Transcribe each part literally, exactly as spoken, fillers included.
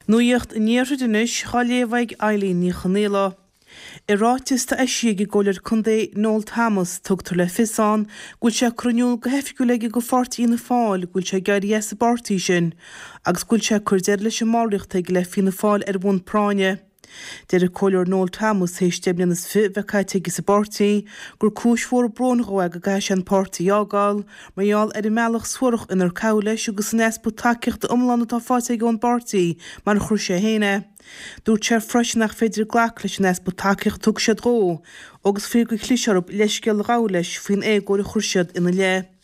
Nuacht an Iarthair anois á léamh ag Eileen Ní Chonghaile. I ráiteas atá eisithe ag an gComhairleoir Contae Noel Thomas tugtar le fios ann go bhfuil sé curtha in iúl go hoifigiúil aige go pháirtí Fhianna Fáil go bhfuil sé ag éirí as an bpáirtí sin agus go bhfuil sé ag cur deireadh leis an mballraíocht aige le Fianna Fáil ar bhonn práinne. Deir an Comhairleoir Noel Thomas théis deich mbliana is fiche bheith caite aige sa bpáirtí gur cúis mhór bróin dhó é go gcaithfidh sé an páirtí a fhágáil mar gheall ar an mbealach suarach inar caitheadh leis agus an easpa tacaíochta iomlán atá faighte aige ón bpáirtí mar a chuir sé féin é. Dúirt sé freisin nach féidir glacadh leis an easpa tacaíochta a thug siad dhó agus faoi gur chlis orthu leithscéal a ghabháil leis faoin éagóir a chuir siad ina leith.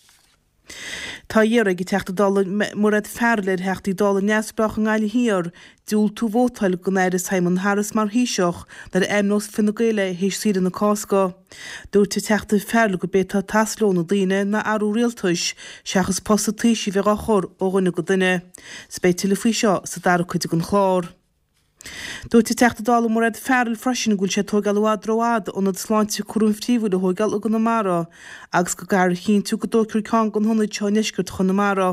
Tá iarrtha ag an Teachta Dála Mairéad Farrell ar Theachtaí Dála neamhspleácha i nGaillimh Thiar diúltú vótáil don Aire Simon Harris mar Thaoiseach nuair a ainmneos Fine Gael é théis saoire na Cásca. Dúirt an Teachta Farrell gurb é atá ag teastáil ó na daoine ná athrú rialtais seachas post an Taoisigh a bheith á chur ó dhuine go duine. 'S beidh tuilleadh faoi seo sa dara cuid den chlár. Dúirt an Teachta Dála Mairéad Farrell freisin go bhfuil sé ag tógáil i bhfad rófhada ionad sláinte cúraim phríomhúil a thógáil i gConamara agus go gcaithfear a chinntiú go dtógfar ceann de na hionaid seo i ndeisceart Chonamara.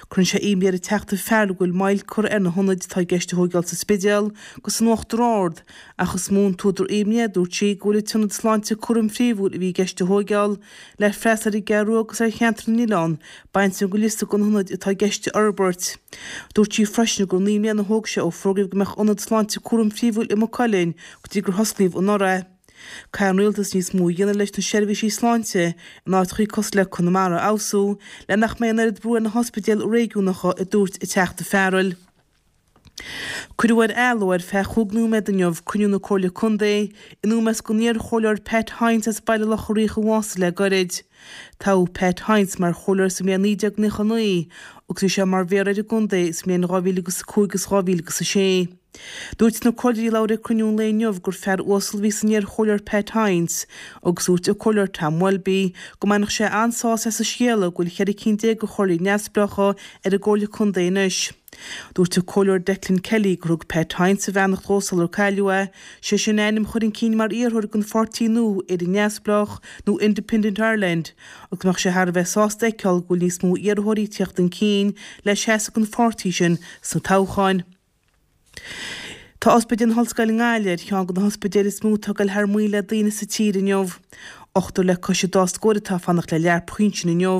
Cuireann sé imní ar an Teachta Farrell go bhfuil moill curtha ar na hionaid atá i gceist a thógáil sa Spidéal agus san Uachtar Ard ach is mó an t-údar imní é, dúirt sí, go bhfuil an t-ionad sláinte cúraim phríomhúil a bhí i gceist a thógáil le freastal ar an gCeathrú Rua agus ar cheantar na nOileán bainte den liosta de na hionaid atá i gceist a fhorbairt. Dúirt sí freisin gur naoi mbliana a thóg sé ó fógraíodh go mbeadh ionad sláinte cúraim phríomhúil i Maigh Cuilinn go dtí gur hosclaíodh anuraidh é. Caithfidh an rialtas níos mó a dhéanamh leis na seirbhísí sláinte in áiteachaí cosúil le Conamara a fheabhsú le nach mbeidh an oiread brú ar na hospidéil réigiúnacha, a dúirt an Teachta Farrell. Cuireadh ar athló ar feadh chúig nóiméad inniu cruinniú na Comhairle Contae in ómós don iar-chomhairleoir Pat Hynes as Baile Locha Riach a bhásaigh le gairid. Toghadh Pat Hynes mar chomhairleoir sa mbliain naoi déag nócha naoi agus bhí sé mar mhéara ar an gcontae sa mbliain dhá mhíle agus a cúig agus dhá mhíle agus a sé. Dúirt na comhairleoirí a labhair ag cruinniú an lae inniu gur fear uasal a bhí san iar-chomhairleoir Pat Hynes agus dúirt an Comhairleoir Tom Welby go mbainfeadh sé an-sásamh as an scéala go bhfuil cheithre cinn déag de chomhairleoirí neamhspleácha ar an gComhairle Contae anois. Dúirt an Comhairleoir Declan Kelly gur thug Pat Hynes a bheannacht dhó sular cailleadh é, sé sin a ainm a chur chun cinn mar iarrthóir don pháirtí nua Éire Neamhspleách nó Independent Ireland agus go mbeadh sé thar a bheith sásta a fheiceáil go bhfuil níos mó iarrthóirí ag tíocht chun cinn le seasamh don pháirtí sin sna toghcháin. Tá Ospidéal na hOllscoile i nGaillimh ar cheann de na hospidéil is mó atá ag dul thar maoil le daoine sa tír inniu. Ochtar le cois an dá scór atá ag fanacht le lear pinsin inniu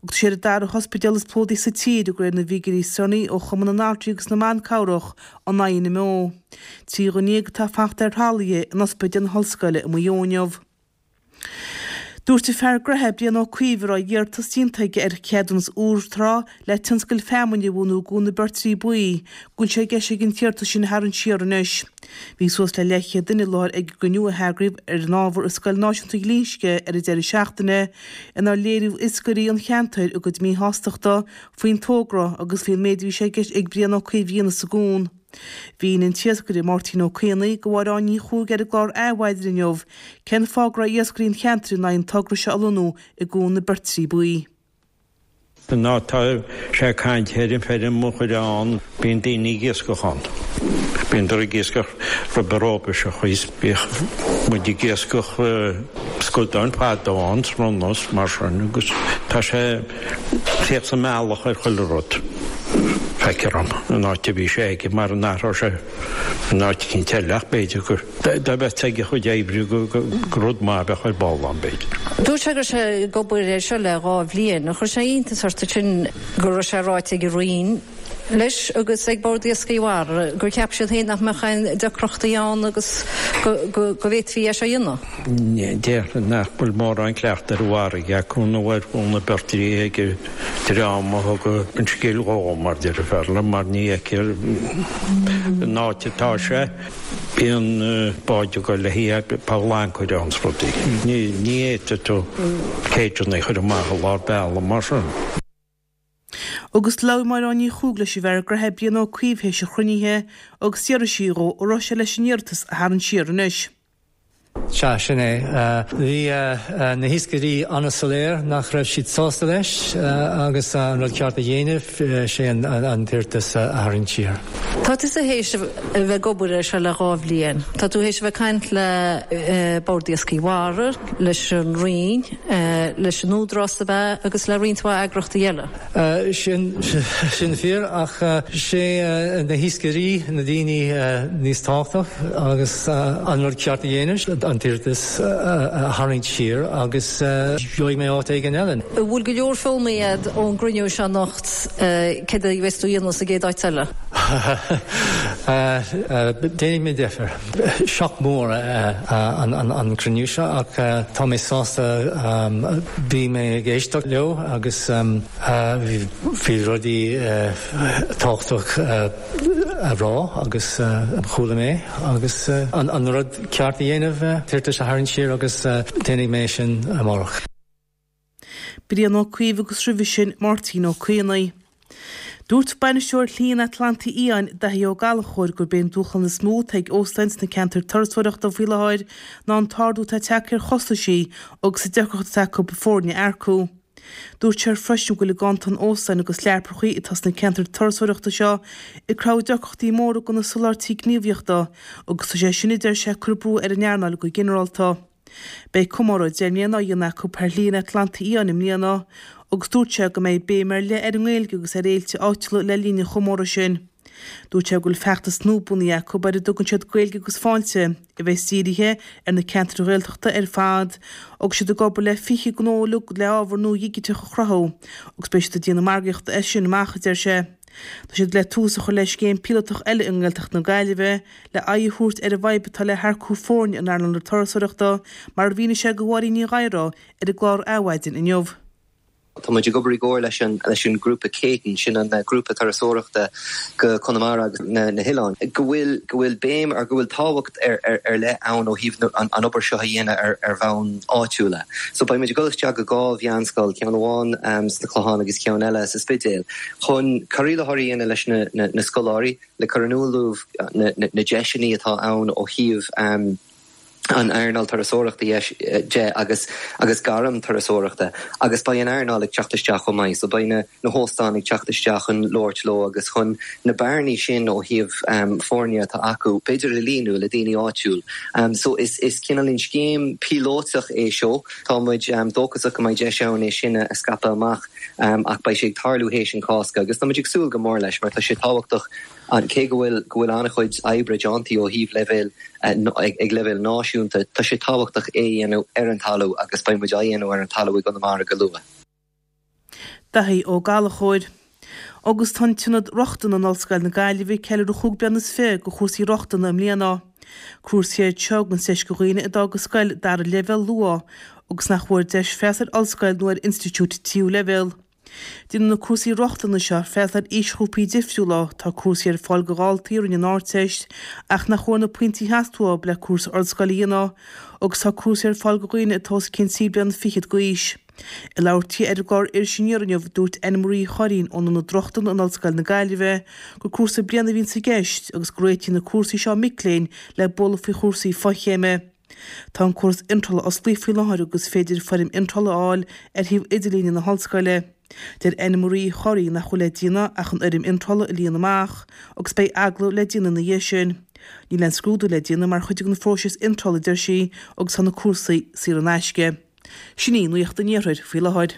agus tá sé ar an dara hospidéal is plódaí sa tír de réir na bhfigiúirí is deireanaí ó Chumann na nAltraí agus na mBan Cabhrach, an INMO. Trí dhuine dhéag atá ag fanacht ar thralaithe in Ospidéal na hOllscoile i Maigh Eo inniu. Dúirt an fear gnoithe Brian Ó Cuív a raibh iarratas déanta aige ar cheadúnas úr trá le tionscal feamainne a bhunú i gCuan na Beirtrí Buí go bhfuil sé i gceist aige an t-iarratas sin a tharraingt siar anois. Bhí suas le leathchéad duine i láthair ag an gcruinniú a heagraíodh ar an ábhar i Scoil Náisiúnta Ghlinsce ar an deireadh seachtaine inar léirigh iascairí an cheantair a gcuid míshástachta faoin togra agus faoin méid a bhí sé i gceist ag Brian Ó Cuív a dhéanamh sa gcuan. Mhínigh an t-iascaire Máirtín Ó Caonaigh do Mháire Áine Ní Chuaig ar an gclár Adhmhaidin inniu cén fáth go raibh iascairí an cheantair in aghaidh an togra seo a lonnú i gCuan na Beirtrí Buí. An áit atá sé ag caint ar an feirm a chur ann, bíonn daoine ag iascach ann. Bíonn ag iascach roimhe rópa seo thíos. Bhíodh muid ag iascach scadáin fadó ann, srón is mar sin agus tá sé ag tíocht sa mbealach ar chuile rud. Feictear dom an áit a bhí sé aige mar an athródh sé in áit eicínt eile ach b'fhéidir gur dá mbeadh aige a chuid oibre gur rud maith a bheadh ar ball ann b'fhéidir. Dúirt sé go raibh sé ag obair air seo le dhá bhliain. Chuir sé iontas ort ansin go raibh sé ráite ag an Roinn leis agus ag Bord Iascaigh Mhara gur cheap siad féin nach mbeadh aon deacrachtaí ann agus go bhféadfaí é seo a dhéanamh. Déarfainn nach bhfuil mórán cleachta ar an bhfarraige acu nó ar Chuan na Beirtrí ag an dream a thug an scéal dhó, mar deir an fear liom, mar ní fheictear an áit atá sé. Bíonn báid ag dul le haghaidh poll ancaire ann 's rudaí. Ní fhéadfaidh tú céideanna a chur amach i lár bealaigh mar sin. Agus labhair Máire Áine Ní Chuaig leis an bhfear gnoithe Brian Ó Cuív théis an chruinnithe agus d'fhiafraigh sí dhó an raibh sé leis an iarratas a tharraingt siar anois. Sea, sin é. Bhí na hiascairí an-soiléir nach raibh siad sásta leis agus an rud ceart a dhéanamh sé an t-iarratas a tharraingt siar. Tá tú théis a bheith ag obair air seo le dhá bhliain. Tá tú théis a bheith ag caint le Bord Iascaigh Mhara, leis an Roinn, leis an Údarás ab ea agus le roinnt mhaith eagraíochtaí eile. Sin sin fíor ach sé na hiascairí na daoine níos tábhachtach agus an rud ceart a dhéanamh an t-iarratas a tharraingt siar agus gheobhaidh mé áit éigin eile. Bhfuil go leor foghlamtha agat ón gcruinniú seo anocht céard a bheas tú a dhéanamh sa gcéad áit eile? Déanfaidh mé deifir. Shock mór an cruinniú seo ach tá mé sásta bhí mé ag éisteacht leo agus bhí rudaí tábhachtach a rá agus chuala mé agus an rud ceart a dhéanamh t-iarratas a tharraingt siar agus déanfaidh mé sin amárach. Brian Ó Cuív agus roimhe sin Máirtín Ó Caonaigh. Dúirt bainisteoir Shlí an Atlantaigh Fhiáin, Daithí Ó Gallchóir, gurb é an dúshlán is mó atá ag óstáin sna ceantair turasóireachta faoi láthair ná an t-ardú atá tagtha ar chostaisí agus an deacracht atá acu foirne a earcú. Dúirt sé freisin go bhfuil an ganntan óstáin agus leaprachaí atá sna ceantair turasóireachta seo ag cruthú deacrachtaí móra do na soláthairtí gníomhaíochta agus tá sé sin a deir sé ag cur brú ar an earnáil go ginearálta. Beidh comóradh deich mbliana á dhéanamh acu ar Shlí an Atlantaigh Fhiáin i mbliana agus dúirt sé go mbeidh béim ar leith ar an nGaeilge agus ar fhéilte áitiúla le linn an chomóradh sin. Dúirt sé go bhfuil feachtas nua bunaithe acu ar a dtugann siad Gaeilge agus Fáilte, a bheas dírithe ar na ceantair Ghaeltachta ar fad agus siad ag obair le fiche gnó uilig le ábhar nua dhigiteach a chruthú agus beidh siad ag déanamh margaíochta air sin amach, a deir sé. Tá siad le tús a chur le scéim píolótach eile i nGaeltacht na Gaillimhe le aghaidh a thabhairt ar an bhfadhb atá le hearcú foirne in earnáil na turasóireachta, mar a mhínigh sé do Mháirín Ní Ghadhra ar an gclár Adhmhaidin inniu. Tá muid ag obair i gcomhar leis an leis an grúpa Céitinn, sin an grúpa turasóireachta go Conamara agus na, na hoileáin, go bhfuil go bhfuil béim ar go bhfuil tábhacht ar, ar, ar leith ann ó thaobh an, an obair seo a dhéanamh ar, ar bhonn áitiúla. So beidh muid ag dul isteach go dhá mheánscoil, ceann amháin um, sna Clocháin agus ceann eile sa Spidéal, chun cur i láthair a dhéanamh leis na, na, na scoláirí le cur in iúl dóibh na, na, na deiseanna atá ann ó thaobh um, an earnáil turasóireachta de agus agus gairm turasóireachta agus beidh an earnáil ag teacht isteach chomh maith, so beidh na na hóstáin ag teacht isteach chun labhairt leo agus chun na bearnaí sin ó thaobh um, foirne atá acu, b'fhéidir a líonadh le daoine áitiúil. Um, so is is cineál scéim píolótach é seo Tá muid um, dóchasach go mbeidh deis ann é sin a scaipeadh amach um, ach beidh sé ag tarlú théis an Cásca, agus tá muid ag súil go mór leis mar tá sé tábhachtach an cé go bhfuil go bhfuil an-chuid oibre déanta ó thaobh leibhéal ag, ag leibhéal náisiúnta, tá sé tábhachtach é dhéanamh ar an talamh agus beidh muid á dhéanamh ar an talamh i gConamara go luath. Daithí Ó Gallchóir. Agus tá an tIonad Rochtana in Ollscoil na Gaillimhe ag ceiliúradh chúig bliana is fiche de chúrsaí rochtana i mbliana. Cúrsaí iad seo a thugann deis do dhaoine a d'fhág an scoil dara leibhéal luath agus nach bhfuair deis freastal ar ollscoil nó ar institiúid tríú leibhéal. Déanann na cúrsaí rochtana seo freastal ar aoisghrúpaí difriúla, tá cúrsaí ar fáil do dhaltaí a rinne an Ardteist ach nach bhfuair na pointí a theastaigh uathu le cúrsa ollscoile a dhéanamh, agus tá cúrsaí ar fáil do dhaoine atá os cionn trí bliana fichead d'aois. Ag labhairt di ar an gclár Iris Aniar inniu, dúirt Anne Marie Churraoin ón Ionad Rochtana in Ollscoil na Gaillimhe gur cúrsa bliana a bhíonn i gceist agus go réitíonn na cúrsaí seo mic léinn le bualadh faoi chúrsaí fochéime. Tá an córas iontrála osclaithe faoi láthair agus is féidir foirm iontrála a fháil ar shuíomh idirlíne na hollscoile. Deir Anne Marie Churraoin nach bhfuil le déanamh ach an fhoirm iontrála a líonadh amach agus beidh agallamh le déanamh ina dhiaidh sin. Níl aon scrúdú le déanamh mar chuid den phróiseas iontrála, a deir sí, agus tá na cúrsaí saor in aisce. Sin í nuacht an Iarthair faoi láthair.